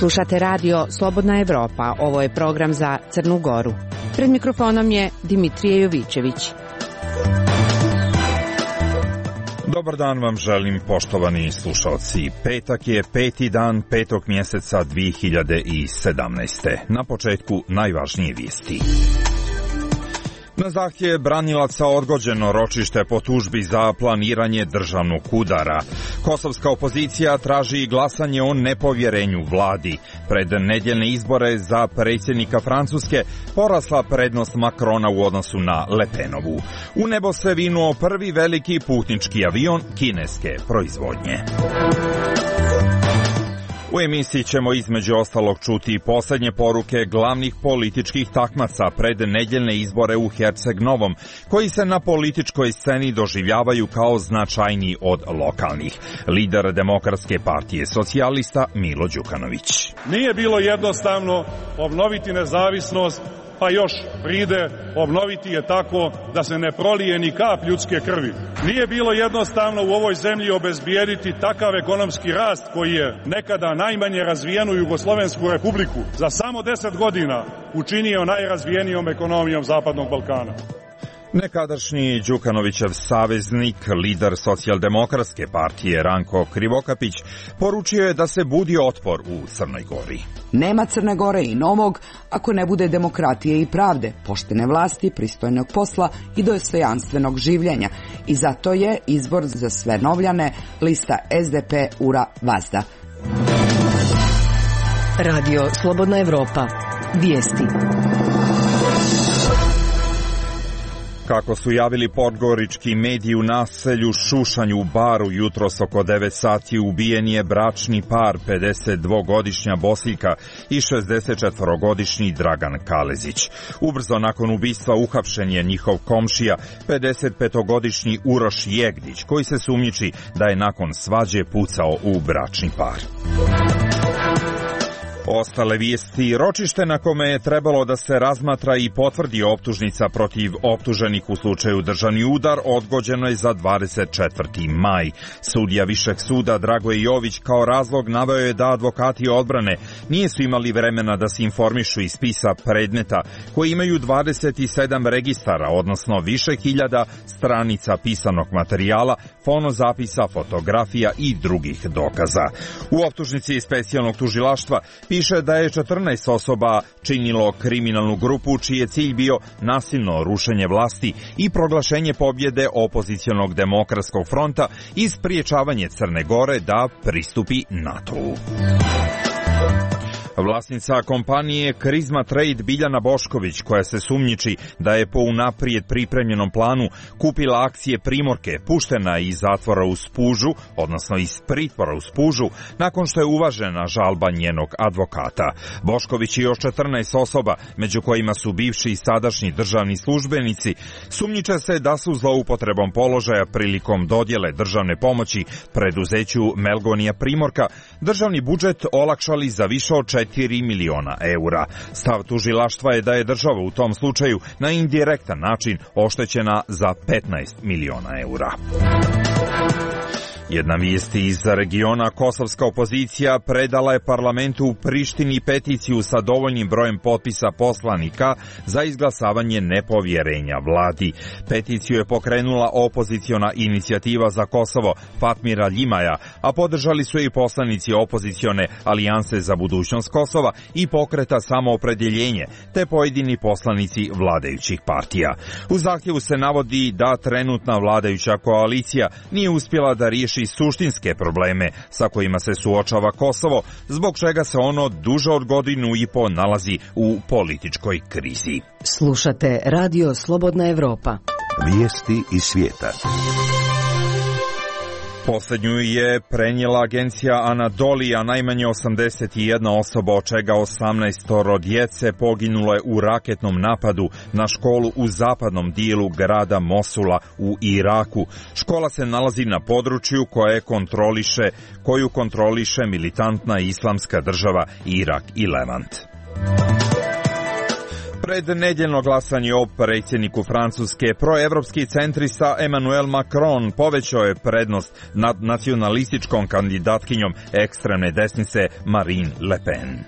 Slušate radio Slobodna Evropa, ovo je program za Crnu Goru. Pred mikrofonom je Dimitrije Jovićević. Dobar dan vam želim, poštovani slušalci. Petak je 5. dan 5. mjeseca 2017. Na početku najvažnije vijesti. Na zahtjev branilaca odgođeno ročište po tužbi za planiranje državnog udara. Kosovska opozicija traži glasanje o nepovjerenju vladi. Pred nedjeljne izbore za predsjednika Francuske porasla prednost Macrona u odnosu na Le Penovu. U nebo se vinuo prvi veliki putnički avion kineske proizvodnje. U emisiji ćemo između ostalog čuti posljednje poruke glavnih političkih takmaca pred nedjeljne izbore u Herceg Novom, koji se na političkoj sceni doživljavaju kao značajniji od lokalnih. Lider Demokratske partije socijalista Milo Đukanović. Nije bilo jednostavno obnoviti nezavisnost, pa još pride obnoviti je tako da se ne prolije ni kap ljudske krvi. Nije bilo jednostavno u ovoj zemlji obezbijediti takav ekonomski rast koji je nekada najmanje razvijenu Jugoslovensku republiku za samo 10 godina učinio najrazvijenijom ekonomijom Zapadnog Balkana. Nekadašnji Đukanovićev saveznik, lider Socijaldemokratske partije Ranko Krivokapić, poručio je da se budi otpor u Crnoj Gori. Nema Crne Gore i novog ako ne bude demokratije i pravde, poštene vlasti, pristojnog posla i dostojanstvenog življenja. I zato je izbor za sve novljane lista SDP Ura Vazda. Radio Slobodna Evropa. Vijesti. Kako su javili podgorički mediji, u naselju Šušanj u Baru jutros oko 9 sati ubijen je bračni par, 52-godišnja Bosiljka i 64-godišnji Dragan Kalezić. Ubrzo nakon ubistva uhapšen je njihov komšija, 55-godišnji Uroš Jegdić, koji se sumnjiči da je nakon svađe pucao u bračni par. Ostale vijesti. Ročište na kome je trebalo da se razmatra i potvrdi optužnica protiv optuženih u slučaju državni udar odgođeno je za 24. maj. Sudija Višeg suda Dragoje Jović kao razlog naveo je da advokati odbrane nisu imali vremena da se informišu iz spisa predmeta koji imaju 27 registara, odnosno više hiljada stranica pisanog materijala, fonozapisa, fotografija i drugih dokaza. U optužnici specijalnog tužilaštva piše da je 14 osoba činilo kriminalnu grupu čiji je cilj bio nasilno rušenje vlasti i proglašenje pobjede opozicionog demokratskog fronta i spriječavanje Crne Gore da pristupi NATO-u. Vlasnica kompanije Krizma Trade Biljana Bošković, koja se sumnjiči da je po unaprijed pripremljenom planu kupila akcije Primorke, puštena iz zatvora u Spužu, odnosno iz pritvora u Spužu, nakon što je uvažena žalba njenog advokata. Bošković i još 14 osoba, među kojima su bivši i sadašnji državni službenici, sumnjiče se da su zloupotrebom položaja prilikom dodjele državne pomoći preduzeću Melgonija Primorka državni budžet olakšali za više od 4 miliona eura. Stav tužilaštva je da je država u tom slučaju na indirektan način oštećena za 15 miliona eura. Jedna vijest iz regiona. Kosovska opozicija predala je parlamentu u Prištini peticiju sa dovoljnim brojem potpisa poslanika za izglasavanje nepovjerenja vladi. Peticiju je pokrenula opoziciona inicijativa za Kosovo Fatmira Ljimaja, a podržali su i poslanici opozicione Alijanse za budućnost Kosova i pokreta Samoopredjeljenje, te pojedini poslanici vladajućih partija. U zahtjevu se navodi da trenutna vladajuća koalicija nije uspjela da riješi suštinske probleme sa kojima se suočava Kosovo, zbog čega se ono duže od godinu i po nalazi u političkoj krizi. Slušate Radio Slobodna Evropa. Vijesti iz svijeta. Posljednju je prenijela agencija Anadolija. Najmanje 81 osoba, od čega 18 djece, poginulo je u raketnom napadu na školu u zapadnom dijelu grada Mosula u Iraku. Škola se nalazi na području koju kontroliše militantna islamska država Irak i Levant. Pred nedjeljno glasanje o predsjedniku Francuske, proevropski centrista Emmanuel Macron povećao je prednost nad nacionalističkom kandidatkinjom ekstremne desnice Marine Le Pen.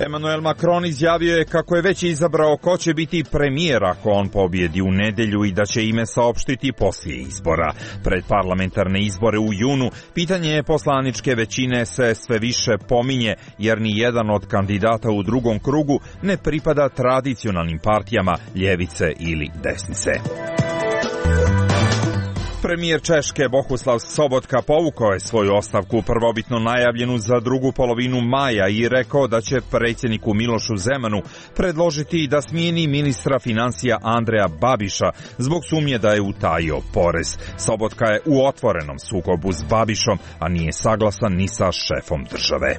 Emmanuel Macron izjavio je kako je već izabrao ko će biti premijer ako on pobjedi u nedjelju i da će ime saopštiti poslije izbora. Pred parlamentarne izbore u junu pitanje poslaničke većine se sve više pominje jer ni jedan od kandidata u drugom krugu ne pripada tradicionalnim partijama ljevice ili desnice. Premijer Češke Bohuslav Sobotka povukao je svoju ostavku prvobitno najavljenu za drugu polovinu maja i rekao da će predsjedniku Milošu Zemanu predložiti da smijeni ministra financija Andreja Babiša zbog sumnje da je utajio porez. Sobotka je u otvorenom sukobu s Babišom, a nije saglasan ni sa šefom države.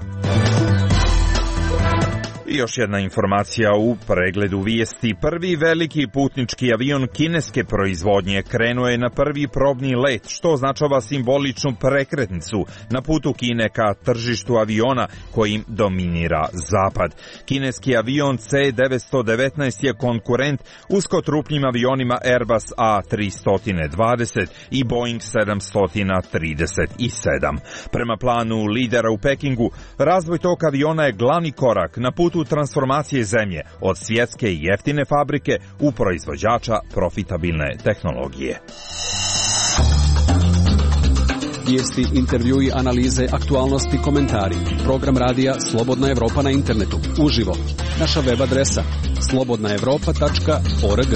I još jedna informacija u pregledu vijesti. Prvi veliki putnički avion kineske proizvodnje krenuo je na prvi probni let, što označava simboličnu prekretnicu na putu Kine ka tržištu aviona kojim dominira Zapad. Kineski avion C-919 je konkurent uskotrupnim avionima Airbus A320 i Boeing 737. Prema planu lidera u Pekingu, razvoj tog aviona je glavni korak na putu transformacije zemlje od svjetske i jeftine fabrike u proizvođača profitabilne tehnologije. Vijesti, intervjui, analize, aktualnosti, komentari. Program radija Slobodna Evropa na internetu. Uživo. Naša web adresa slobodnaevropa.org.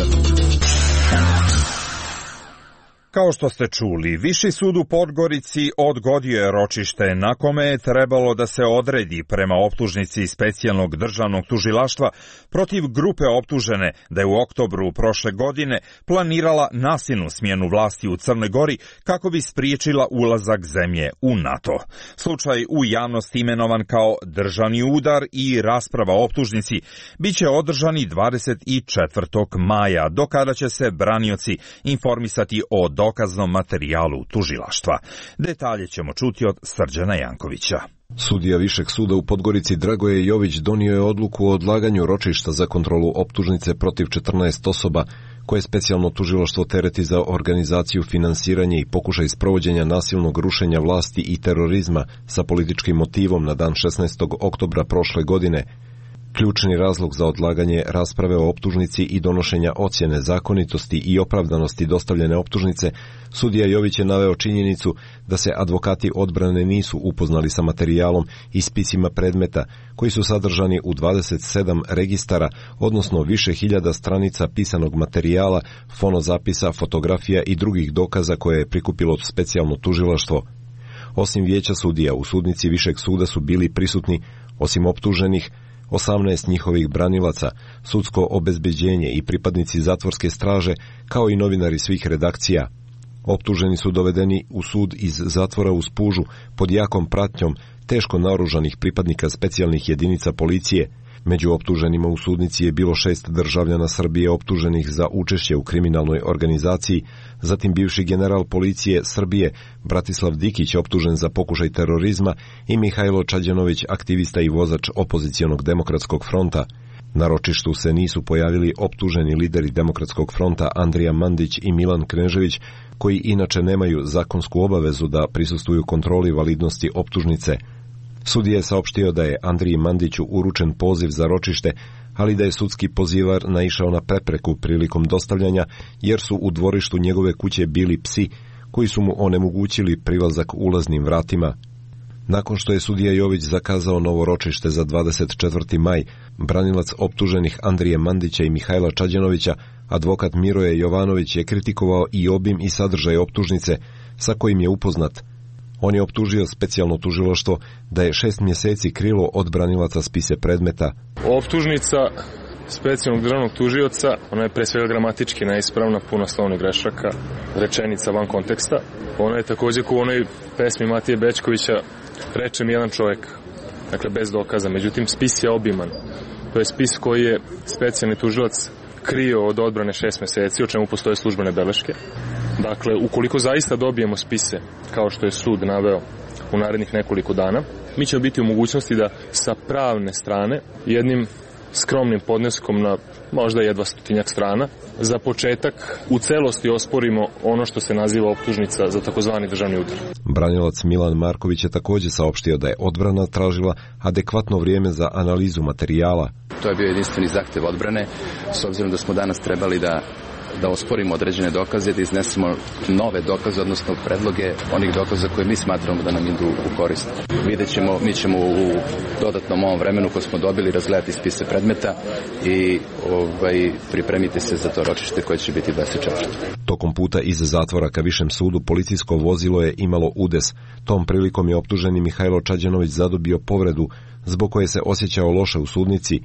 Kao što ste čuli, Viši sud u Podgorici odgodio je ročište na kome je trebalo da se odredi prema optužnici specijalnog državnog tužilaštva protiv grupe optužene da je u oktobru prošle godine planirala nasilnu smjenu vlasti u Crnoj Gori kako bi spriječila ulazak zemlje u NATO. Slučaj u javnosti imenovan kao državni udar i rasprava o optužnici biće održani 24. maja, do kada će se branioci informisati o dokaznom materijalu tužilaštva. Detalje ćemo čuti od Srđana Jankovića. Sudija Višeg suda u Podgorici Dragoje Jović donio je odluku o odlaganju ročišta za kontrolu optužnice protiv 14 osoba koje specijalno tužilaštvo tereti za organizaciju, finansiranje i pokušaj sprovođenja nasilnog rušenja vlasti i terorizma sa političkim motivom na dan 16. oktobra prošle godine. Ključni razlog za odlaganje rasprave o optužnici i donošenja ocjene zakonitosti i opravdanosti dostavljene optužnice, sudija Jović je naveo činjenicu da se advokati odbrane nisu upoznali sa materijalom i spisima predmeta koji su sadržani u 27 registara, odnosno više hiljada stranica pisanog materijala, fonozapisa, fotografija i drugih dokaza koje je prikupilo specijalno tužilaštvo. Osim vijeća sudija, u sudnici Višeg suda su bili prisutni, osim optuženih, 18 njihovih branilaca, sudsko obezbeđenje i pripadnici zatvorske straže, kao i novinari svih redakcija. Optuženi su dovedeni u sud iz zatvora u Spužu pod jakom pratnjom teško naoružanih pripadnika specijalnih jedinica policije. Među optuženima u sudnici je bilo 6 državljana Srbije optuženih za učešće u kriminalnoj organizaciji, zatim bivši general policije Srbije Bratislav Dikić optužen za pokušaj terorizma i Mihajlo Čađanović, aktivista i vozač opozicionog demokratskog fronta. Na ročištu se nisu pojavili optuženi lideri demokratskog fronta Andrija Mandić i Milan Knežević, koji inače nemaju zakonsku obavezu da prisustvuju kontroli validnosti optužnice. Sudija je saopštio da je Andriji Mandiću uručen poziv za ročište, ali da je sudski pozivar naišao na prepreku prilikom dostavljanja, jer su u dvorištu njegove kuće bili psi koji su mu onemogućili prilazak ulaznim vratima. Nakon što je sudija Jović zakazao novo ročište za 24. maj, branilac optuženih Andrije Mandića i Mihajla Čađanovića, advokat Miroje Jovanović, je kritikovao i obim i sadržaj optužnice sa kojim je upoznat. On je optužio specijalno tužilaštvo da je 6 mjeseci krilo od branilaca spise predmeta. Optužnica specijalnog državnog tužioca, ona je pre svega gramatički neispravna, puno slovnih grešaka, rečenica van konteksta. Ona je također kao u onoj pesmi Matije Bečkovića reče mi jedan čovjek, dakle bez dokaza. Međutim, spis je obiman. To je spis koji je specijalni tužilac krio od odbrane 6 mjeseci, o čemu postoje službene beleške. Dakle, ukoliko zaista dobijemo spise, kao što je sud naveo u narednih nekoliko dana, mi ćemo biti u mogućnosti da sa pravne strane jednim skromnim podneskom na možda jedva 100 strana. Za početak u celosti osporimo ono što se naziva optužnica za takozvani državni udar. Branilac Milan Marković je također saopštio da je odbrana tražila adekvatno vrijeme za analizu materijala. To je bio jedinstveni zahtev odbrane, s obzirom da smo danas trebali da osporimo određene dokaze, da iznesemo nove dokaze, odnosno predloge onih dokaza koje mi smatramo da nam idu u korist. Vidjet ćemo, mi ćemo u dodatnom ovom vremenu koje smo dobili razgledati spise predmeta i pripremiti se za to ročište koje će biti 24. Tokom puta iz zatvora ka višem sudu policijsko vozilo je imalo udes. Tom prilikom je optuženi Mihajlo Čađanović zadobio povredu zbog koje se osjećao loše u sudnici.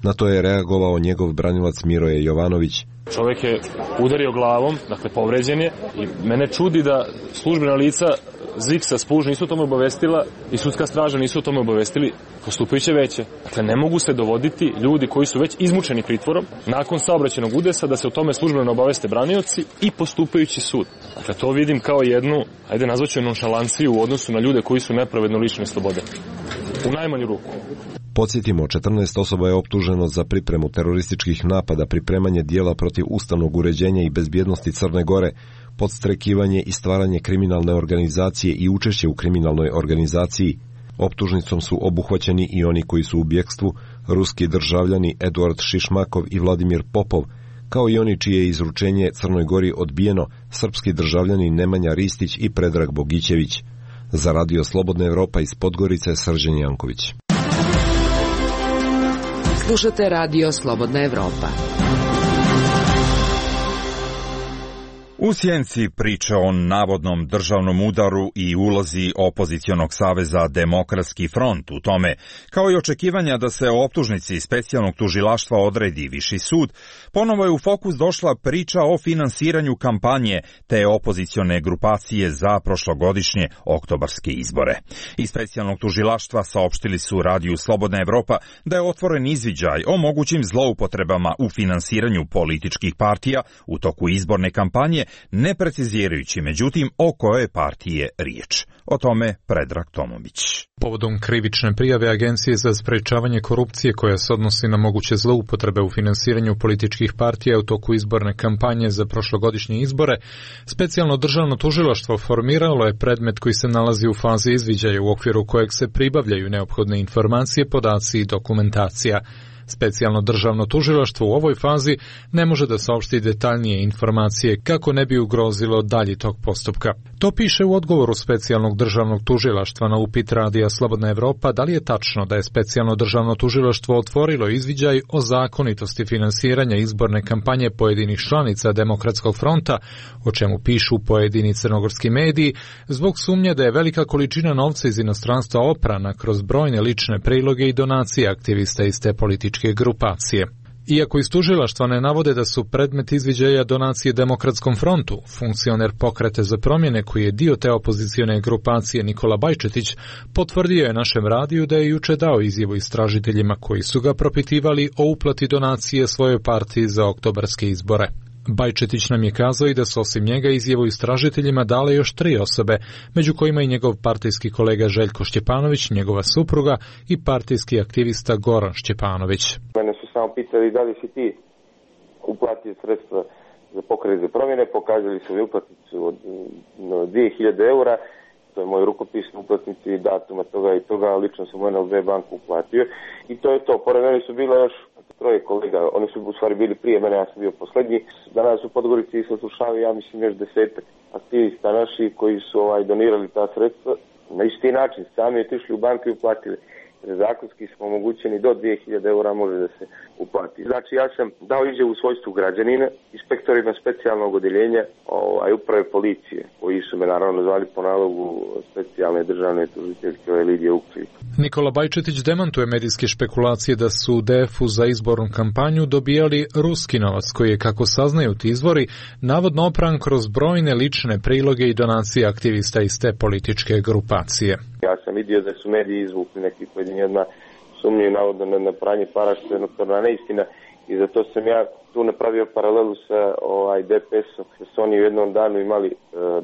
Na to je reagovao njegov branilac Miroje Jovanović. Čovjek je udario glavom, dakle povređen je, i mene čudi da službena lica ZIKS-a Spuž nisu o tome obavestila i sudska straža nisu o tome obavestili postupajuće veće. Dakle, ne mogu se dovoditi ljudi koji su već izmučeni pritvorom nakon saobraćajnog udesa da se o tome službeno obaveste branioci i postupajući sud. Dakle, to vidim kao jednu, ajde nazvaću nonšalanciju u odnosu na ljude koji su nepravedno lišeni slobode. U najmanju ruku. Podsjetimo, 14 osoba je optuženo za pripremu terorističkih napada, pripremanje dijela protiv ustavnog uređenja i bezbjednosti Crne Gore, podstrekivanje i stvaranje kriminalne organizacije i učešće u kriminalnoj organizaciji. Optužnicom su obuhvaćeni i oni koji su u bjekstvu, ruski državljani Eduard Šišmakov i Vladimir Popov, kao i oni čije je izručenje Crnoj Gori odbijeno, srpski državljani Nemanja Ristić i Predrag Bogićević. Za Radio Slobodna Evropa iz Podgorice, Srđan Janković. Slušate Radio Slobodna Evropa. U sjenci priče o navodnom državnom udaru i ulozi opozicionog saveza Demokratski front u tome, kao i očekivanja da se o optužnici specijalnog tužilaštva odredi viši sud, ponovo je u fokus došla priča o finansiranju kampanje te opozicione grupacije za prošlogodišnje oktobarske izbore. Iz specijalnog tužilaštva saopštili su Radiju Slobodna Evropa da je otvoren izviđaj o mogućim zloupotrebama u finansiranju političkih partija u toku izborne kampanje, ne precizirajući međutim o kojoj partiji je riječ. O tome Predrag Tomović. Povodom krivične prijave Agencije za sprečavanje korupcije koja se odnosi na moguće zloupotrebe u finansiranju političkih partija u toku izborne kampanje za prošlogodišnje izbore, specijalno državno tužilaštvo formiralo je predmet koji se nalazi u fazi izviđaja u okviru kojeg se pribavljaju neophodne informacije, podaci i dokumentacija. Specijalno državno tužilaštvo u ovoj fazi ne može da saopšti detaljnije informacije kako ne bi ugrozilo dalji tok postupka. To piše u odgovoru specijalnog državnog tužilaštva na upit Radija Slobodna Evropa da li je tačno da je specijalno državno tužilaštvo otvorilo izviđaj o zakonitosti finansiranja izborne kampanje pojedinih članica Demokratskog fronta, o čemu pišu pojedini crnogorski mediji, zbog sumnje da je velika količina novca iz inostranstva oprana kroz brojne lične priloge i donacije aktivista iz te političke grupacije. Iako iz tužilaštva ne navode da su predmet izviđaja donacije Demokratskom frontu, funkcioner Pokreta za promjene koji je dio te opozicione grupacije Nikola Bajčetić potvrdio je našem radiju da je juče dao izjavu istražiteljima koji su ga propitivali o uplati donacije svojoj partiji za oktobarske izbore. Bajčetić nam je kazao i da su osim njega izjavu istražiteljima dale još 3 osobe, među kojima i njegov partijski kolega Željko Šćepanović, njegova supruga i partijski aktivista Goran Šćepanović. Mene su samo pitali da li si ti uplatio sredstva za Pokret za promjene, pokazali su mi uplatnicu od 2000 eura, to je moj rukopis na uplatnici datuma toga i toga, lično sam u NLB banku uplatio i to je to. Pored mene su bila još 3 kolega, oni su u stvari bili prije mene, ja sam bio posljednji. Danas u Podgorici se slušavaju, ja mislim, još 10 aktivista naši koji su donirali ta sredstva. Na isti način, sami otišli u banku i uplatili. Zakonski smo omogućeni do 2000 eura može da se uplati. Znači, ja sam dao izjavu u svojstvu građanina, inspektorima specijalnog odeljenja uprave policije, koji su me naravno zvali po nalogu specijalne državne tužiteljke Lidije Uklić. Nikola Bajčetić demantuje medijske špekulacije da su u DF-u za izbornu kampanju dobijali ruski novac, koji je, kako saznaju ti izvori, navodno opran kroz brojne lične priloge i donacije aktivista iz te političke grupacije. Ja sam vidio da su mediji izvukli neki pojedini jedna sumnju navodno na pranje para, što je notorna neistina. i zato sam ja tu napravio paralelu sa DPS-om, da su oni u jednom danu imali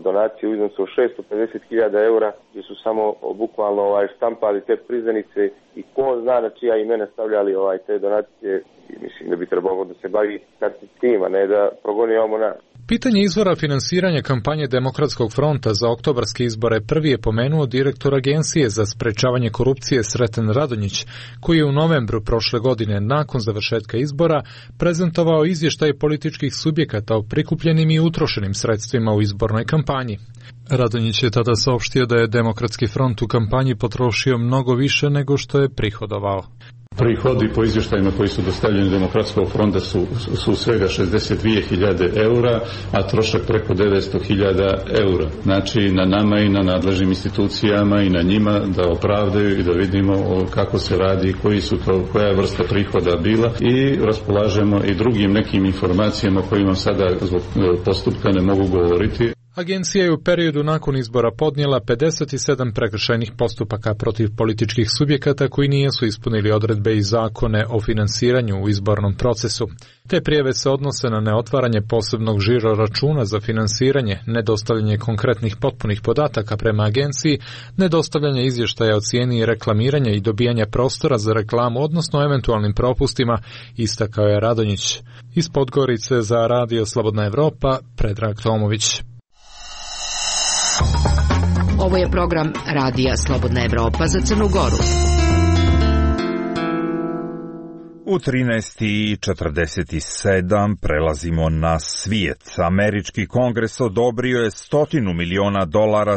donaciju u iznosu od 650.000 eura, gdje su samo bukvalno štampali te priznanice i ko zna na čija imena stavljali te donacije. I mislim da bi trebalo da se bavi tim, a ne da progonimo nas. Pitanje izvora finansiranja kampanje Demokratskog fronta za oktobarske izbore prvi je pomenuo direktor Agencije za sprečavanje korupcije Sreten Radonjić, koji je u novembru prošle godine nakon završetka izbora prezentovao izvještaj političkih subjekata o prikupljenim i utrošenim sredstvima u izbornoj kampanji. Radonjić je tada saopštio da je Demokratski front u kampanji potrošio mnogo više nego što je prihodovao. Prihodi po izvještajima koji su dostavljeni Demokratskog fronta su svega 62.000 eura, a trošak preko 900.000 eura. Znači na nama i na nadležnim institucijama i na njima da opravdaju i da vidimo kako se radi, koja je vrsta prihoda bila i raspolažemo i drugim nekim informacijama kojima sada zbog postupka ne mogu govoriti. Agencija je u periodu nakon izbora podnijela 57 prekršajnih postupaka protiv političkih subjekata koji nisu ispunili odredbe i zakone o finansiranju u izbornom procesu. Te prijave se odnose na neotvaranje posebnog žiro računa za finansiranje, nedostavljanje konkretnih potpunih podataka prema agenciji, nedostavljanje izvještaja o cijeni i reklamiranja i dobijanja prostora za reklamu, odnosno eventualnim propustima, istakao je Radonjić. Iz Podgorice za Radio Slobodna Evropa, Predrag Tomović. Ovo je program Radija Slobodna Evropa za Crnu Goru. U 13:47 prelazimo na svijet. Američki kongres odobrio je $100 miliona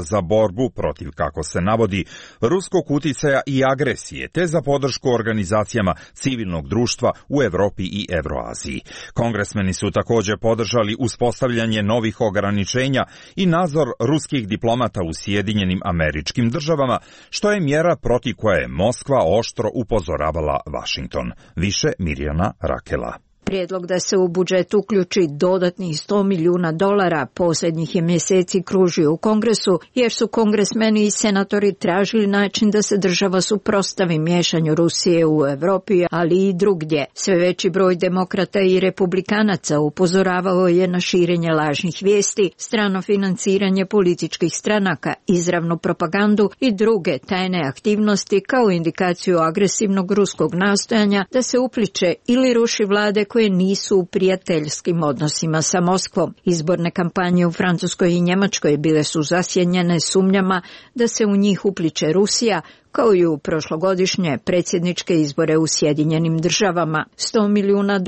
za borbu protiv, kako se navodi, ruskog uticaja i agresije, te za podršku organizacijama civilnog društva u Evropi i Evroaziji. Kongresmeni su također podržali uspostavljanje novih ograničenja i nadzor ruskih diplomata u Sjedinjenim Američkim Državama, što je mjera protiv koje je Moskva oštro upozoravala Vašington. Više Mirjana Rakela. Prijedlog da se u budžet uključi dodatnih $100 milijuna posljednjih je mjeseci kružio u Kongresu, jer su kongresmeni i senatori tražili način da se država suprotstavi miješanju Rusije u Europi, ali i drugdje. Sve veći broj demokrata i republikanaca upozoravao je na širenje lažnih vijesti, strano financiranje političkih stranaka, izravnu propagandu i druge tajne aktivnosti kao indikaciju agresivnog ruskog nastojanja da se upliče ili ruši vlade koje nisu u prijateljskim odnosima sa Moskvom. Izborne kampanje u Francuskoj i Njemačkoj bile su zasjenjene sumnjama da se u njih upliče Rusija, kao i u prošlogodišnje predsjedničke izbore u Sjedinjenim Državama. $100 milijuna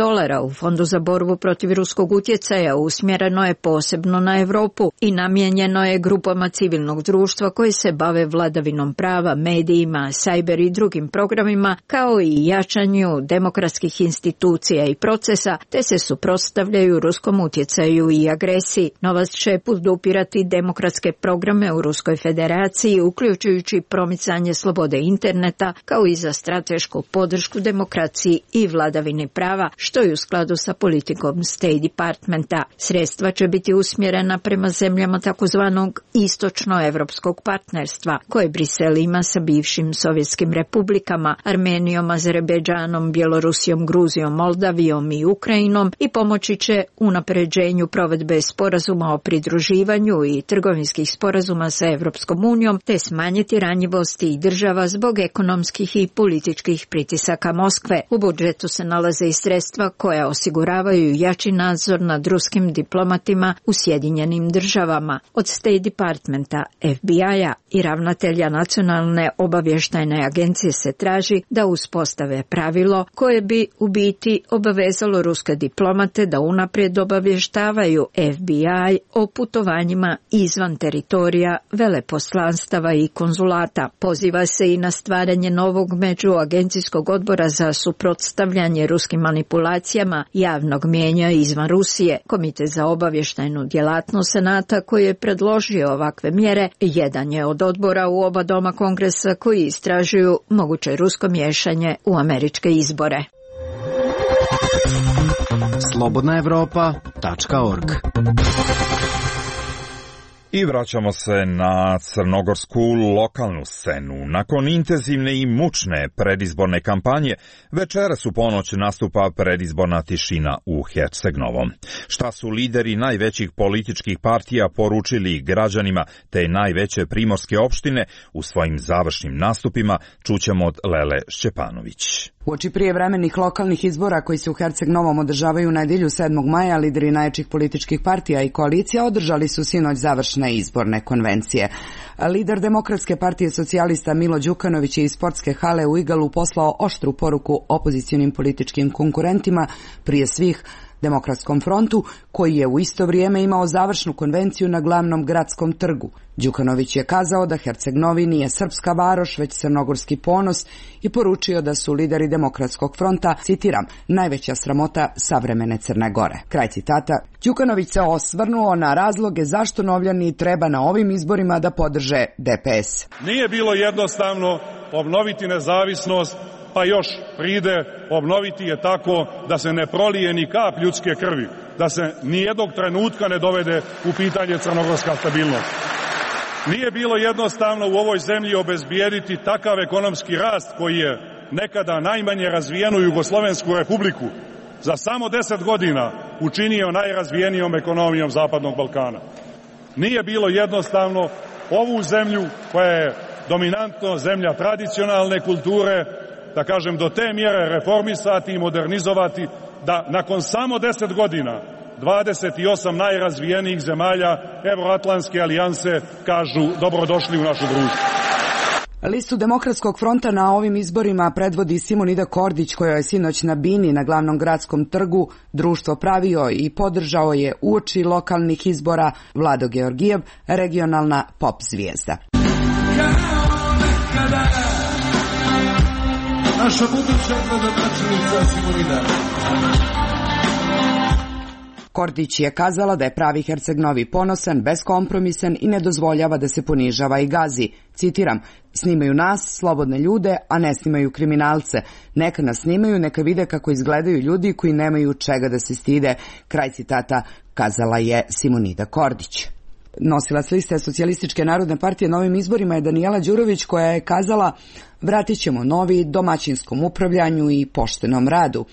u Fondu za borbu protiv ruskog utjecaja usmjereno je posebno na Europu i namijenjeno je grupama civilnog društva koji se bave vladavinom prava, medijima, cyber i drugim programima, kao i jačanju demokratskih institucija i procesa, te se suprotstavljaju ruskom utjecaju i agresiji. Novac će podupirati demokratske programe u Ruskoj federaciji, uključujući promicanje slobode interneta, kao i za stratešku podršku demokraciji i vladavini prava, što je u skladu sa politikom State Departmenta. Sredstva će biti usmjerena prema zemljama takozvanog istočnoevropskog partnerstva, koje Brisel ima sa bivšim sovjetskim republikama, Armenijom, Azerbejdžanom, Bjelorusijom, Gruzijom, Moldavijom i Ukrajinom, i pomoći će unapređenju provedbe sporazuma o pridruživanju i trgovinskih sporazuma sa Evropskom unijom, te smanjiti ranjivosti i država zbog ekonomskih i političkih pritisaka Moskve. U budžetu se nalaze i sredstva koja osiguravaju jači nadzor nad ruskim diplomatima u Sjedinjenim Državama. Od State Departmenta, FBI-a i ravnatelja Nacionalne obavještajne agencije se traži da uspostave pravilo koje bi u biti obavezalo ruske diplomate da unaprijed obavještavaju FBI o putovanjima izvan teritorija veleposlanstava i konzulata. Poziva se i na stvaranje novog međuagencijskog odbora za suprotstavljanje ruskim manipulacijama javnog mijenja izvan Rusije. Komitet za obavještajnu djelatnost Senata, koji je predložio ovakve mjere, jedan je od odbora u oba doma Kongresa koji istražuju moguće rusko miješanje u američke izbore. Slobodnaevropa.org I vraćamo se na crnogorsku lokalnu scenu. Nakon intenzivne i mučne predizborne kampanje, večeras u ponoć nastupa predizborna tišina u Herceg Novom. Šta su lideri najvećih političkih partija poručili građanima te najveće primorske opštine u svojim završnim nastupima, čućemo od Lele Šćepanović. Uoči prijevremenih lokalnih izbora koji se u Herceg Novom održavaju u nedjelju 7. maja, lideri najjačih političkih partija i koalicija održali su sinoć završne izborne konvencije. Lider Demokratske partije socijalista Milo Đukanović je iz sportske hale u Igalu poslao oštru poruku opozicionim političkim konkurentima, prije svih Demokratskom frontu, koji je u isto vrijeme imao završnu konvenciju na glavnom gradskom trgu. Đukanović je kazao da Herceg Novi nije srpska varoš, već crnogorski ponos i poručio da su lideri Demokratskog fronta, citiram, najveća sramota savremene Crne Gore. Kraj citata. Đukanović se osvrnuo na razloge zašto Novljani treba na ovim izborima da podrže DPS. Nije bilo jednostavno obnoviti nezavisnost, pa još pride obnoviti je tako da se ne prolije ni kap ljudske krvi, da se nijednog trenutka ne dovede u pitanje crnogorska stabilnost. Nije bilo jednostavno u ovoj zemlji obezbijediti takav ekonomski rast koji je nekada najmanje razvijenu Jugoslovensku republiku za samo 10 godina učinio najrazvijenijom ekonomijom Zapadnog Balkana. Nije bilo jednostavno ovu zemlju koja je dominantno zemlja tradicionalne kulture, da kažem, do te mjere reformisati i modernizovati da nakon samo 10 godina 28 najrazvijenijih zemalja Evroatlantske alijanse kažu dobrodošli u našu društvo. Listu Demokratskog fronta na ovim izborima predvodi Simonida Kordić, koja je sinoć na bini na glavnom gradskom trgu društvo pravio i podržao je uoči lokalnih izbora Vlado Georgijev, regionalna pop zvijezda. Naša buduća gradonačelnica Simonida. Kordić je kazala da je pravi Herceg Novi ponosan, beskompromisan i ne dozvoljava da se ponižava i gazi. Citiram, snimaju nas, slobodne ljude, a ne snimaju kriminalce. Neka nas snimaju, neka vide kako izgledaju ljudi koji nemaju čega da se stide. Kraj citata, kazala je Simonida Kordić. Nosilac liste Socijalističke narodne partije na ovim izborima je Danijela Đurović, koja je kazala vratit ćemo novi domaćinskom upravljanju i poštenom radu.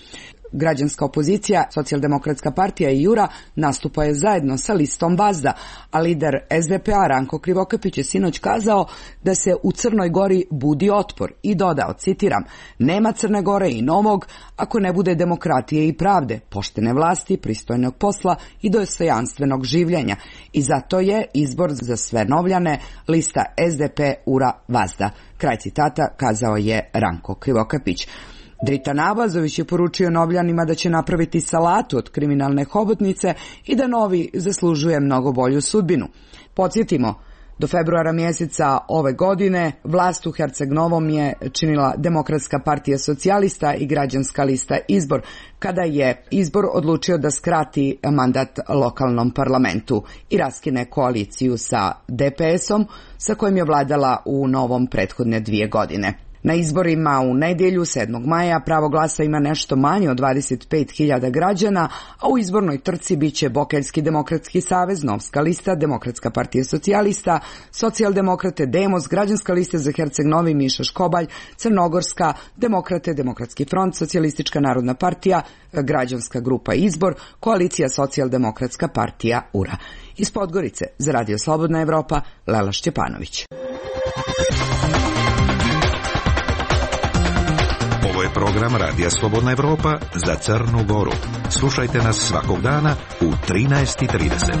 Građanska opozicija, Socijaldemokratska partija i Jura nastupaju zajedno sa listom Vazda, a lider SDP-a Ranko Krivokapić je sinoć kazao da se u Crnoj Gori budi otpor i dodao, citiram, nema Crne Gore i Novog ako ne bude demokratije i pravde, poštene vlasti, pristojnog posla i dostojanstvenog življenja. I zato je izbor za sve Novljane lista SDP Ura Vazda. Kraj citata, kazao je Ranko Krivokapić. Dritan Abazović je poručio Novljanima da će napraviti salatu od kriminalne hobotnice i da Novi zaslužuje mnogo bolju sudbinu. Podsjetimo, do februara mjeseca ove godine vlast u Herceg Novom je činila Demokratska partija socijalista i Građanska lista Izbor, kada je Izbor odlučio da skrati mandat lokalnom parlamentu i raskine koaliciju sa DPS-om, sa kojim je vladala u Novom prethodne 2 godine. Na izborima u nedjelju 7. maja pravo glasa ima nešto manje od 25.000 građana, a u izbornoj trci biće Bokeljski demokratski savez, Novska lista, Demokratska partija socijalista, Socijaldemokrate, Demos, Građanska lista za Herceg Novi, Miša Škobalj, Crnogorska, Demokrate, Demokratski front, Socijalistička narodna partija, Građanska grupa Izbor, Koalicija Socijaldemokratska partija URA. Iz Podgorice za Radio Slobodna Evropa, Lela Šćepanović. Ovo je program Radija Slobodna Evropa za Crnu Goru. Slušajte nas svakog dana u 13:30.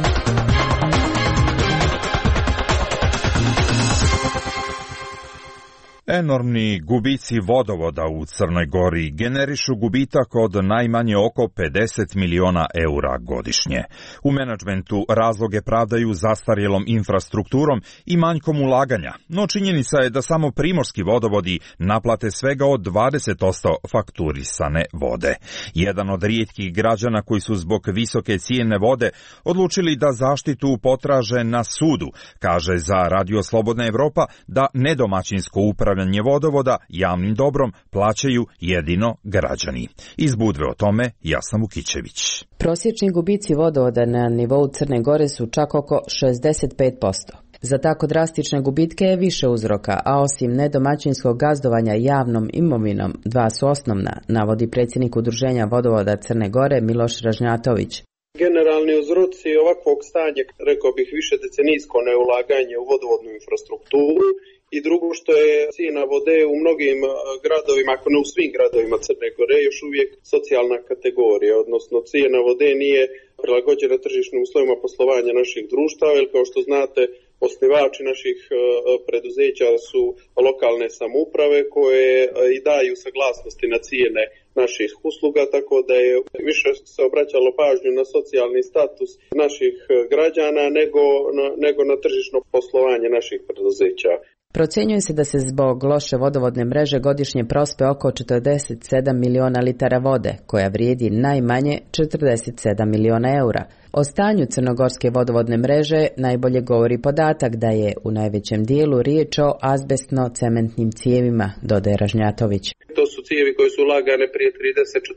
Enormni gubici vodovoda u Crnoj Gori generišu gubitak od najmanje oko 50 miliona eura godišnje. U menadžmentu razloge pravdaju zastarjelom infrastrukturom i manjkom ulaganja, no činjenica je da samo primorski vodovodi naplate svega od 20% fakturisane vode. Jedan od rijetkih građana koji su zbog visoke cijene vode odlučili da zaštitu potraže na sudu, kaže za Radio Slobodna Evropa da nedomaćinsko upravljanje upravljanje vodovoda javnim dobrom plaćaju jedino građani. Iz Budve o tome Jasna Vukićević. Prosječni gubici vodovoda na nivou Crne Gore su čak oko 65%. Za tako drastične gubitke je više uzroka, a osim nedomaćinskog gazdovanja javnom imovinom, dva su osnovna, navodi predsjednik Udruženja vodovoda Crne Gore Miloš Ražnjatović. Generalni uzroci ovakvog stanja, rekao bih, više decenijsko neulaganje u vodovodnu infrastrukturu i drugo što je cijena vode u mnogim gradovima, ako ne u svim gradovima Crne Gore, još uvijek socijalna kategorija, odnosno cijena vode nije prilagođena tržišnim uslovima poslovanja naših društava, jer kao što znate, osnivači naših preduzeća su lokalne samouprave koje i daju saglasnosti na cijene naših usluga, tako da je više se obraćalo pažnju na socijalni status naših građana nego na tržišno poslovanje naših preduzeća. Procjenjuje se da se zbog loše vodovodne mreže godišnje prospe oko 47 miliona litara vode, koja vrijedi najmanje 47 miliona eura. O stanju crnogorske vodovodne mreže najbolje govori podatak da je u najvećem dijelu riječ o azbestno-cementnim cijevima, dodaje Ražnjatović. To su cijevi koje su lagane prije 30, 40,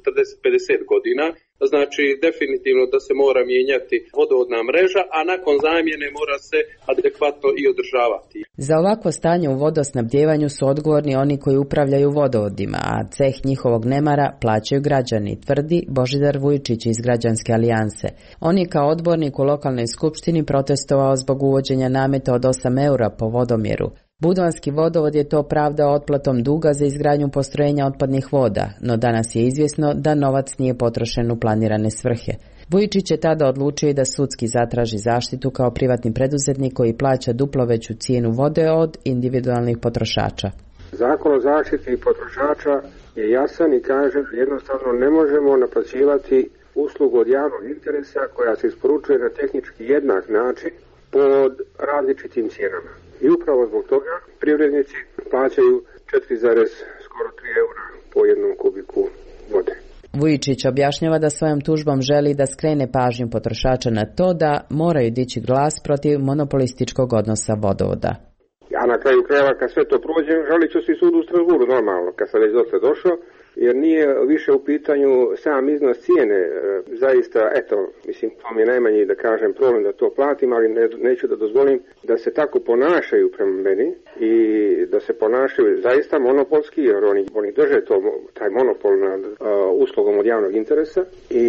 50 godina. Znači, definitivno da se mora mijenjati vodovodna mreža, a nakon zamjene mora se adekvatno i održavati. Za ovakvo stanje u vodosnabdjevanju su odgovorni oni koji upravljaju vodovodima, a ceh njihovog nemara plaćaju građani, tvrdi Božidar Vujčić iz Građanske alijanse. On je kao odbornik u lokalnoj skupštini protestovao zbog uvođenja nameta od 8 eura po vodomjeru. Budvanski vodovod je to pravdao otplatom duga za izgradnju postrojenja otpadnih voda, no danas je izvjesno da novac nije potrošen u planirane svrhe. Vujčić je tada odlučio i da sudski zatraži zaštitu kao privatni preduzetnik koji plaća duplo veću cijenu vode od individualnih potrošača. Zakon o zaštiti potrošača je jasan i kaže jednostavno ne možemo naplaćivati uslugu od javnog interesa koja se isporučuje na tehnički jednak način pod različitim cijenama. I upravo zbog toga privrednici plaćaju 4,3 eura po jednom kubiku vode. Vujčić objašnjava da svojom tužbom želi da skrene pažnju potrošača na to da moraju dići glas protiv monopolističkog odnosa vodovoda. A na kraju krajeva kad sve to prođe, žalit ću se sudu u Strasburu normalno, kad sam već dotle došao, jer nije više u pitanju sam iznos cijene, zaista, mislim, to mi je najmanji, da kažem, problem da to platim, ali neću da dozvolim da se tako ponašaju prema meni i da se ponašaju zaista monopolski, jer oni drže taj monopol nad uslugom od javnog interesa i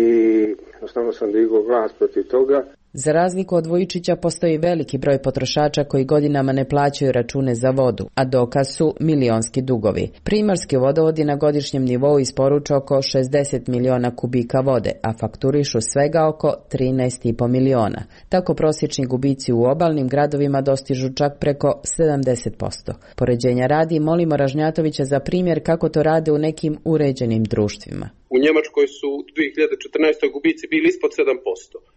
jednostavno sam digao glas protiv toga. Za razliku od Vujčića postoji veliki broj potrošača koji godinama ne plaćaju račune za vodu, a dokaz su milionski dugovi. Primorski vodovodi na godišnjem nivou isporučuju oko 60 miliona kubika vode, a fakturišu svega oko 13,5 miliona. Tako prosječni gubici u obalnim gradovima dostižu čak preko 70%. Poređenja radi molimo Ražnjatovića za primjer kako to rade u nekim uređenim društvima. U Njemačkoj su u 2014. gubici bili ispod 7%,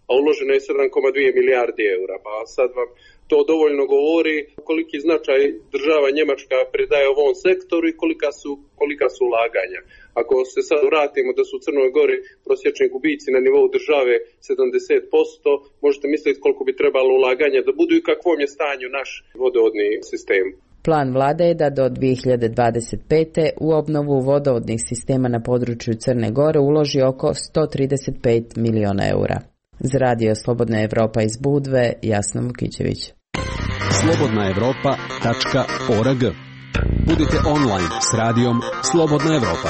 a uloženo je 7,2 milijardi eura. Pa sad vam to dovoljno govori koliki značaj država Njemačka pridaje ovom sektoru i kolika su ulaganja. Ako se sad vratimo da su u Crnoj Gori prosječni gubici na nivou države 70%, možete misliti koliko bi trebalo ulaganja da budu i kakvom je stanju naš vodovodni sistem. Plan vlade je da do 2025. u obnovu vodovodnih sistema na području Crne Gore uloži oko 135 miliona eura. Za Radio Slobodna Evropa iz Budve, Jasna Vukićević. slobodnaevropa.org. Budite online s radijom Slobodna Evropa.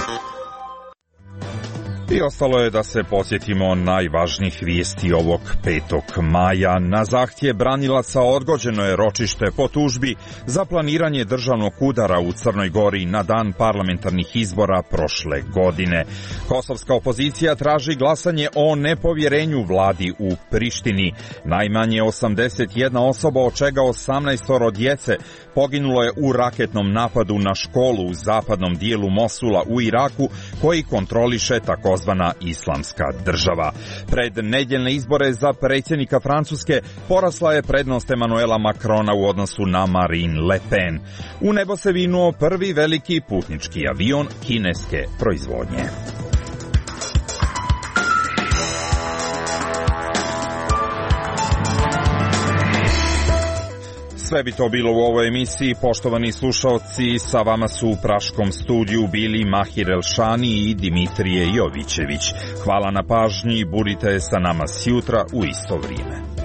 I ostalo je da se podsjetimo najvažnijih vijesti ovog 5. maja. Na zahtjev branilaca odgođeno je ročište po tužbi za planiranje državnog udara u Crnoj Gori na dan parlamentarnih izbora prošle godine. Kosovska opozicija traži glasanje o nepovjerenju vladi u Prištini. Najmanje 81 osoba, od čega 18 djece, poginulo je u raketnom napadu na školu u zapadnom dijelu Mosula u Iraku, koji kontroliše takozvana Islamska država. Pred nedjeljne izbore za predsjednika Francuske porasla je prednost Emanuela Macrona u odnosu na Marine Le Pen. U nebo se vinuo prvi veliki putnički avion kineske proizvodnje. Sve bi to bilo u ovoj emisiji, poštovani slušalci, sa vama su u Praškom studiju bili Mahir Elšani i Dimitrije Jovićević. Hvala na pažnji, budite sa nama sjutra u isto vrijeme.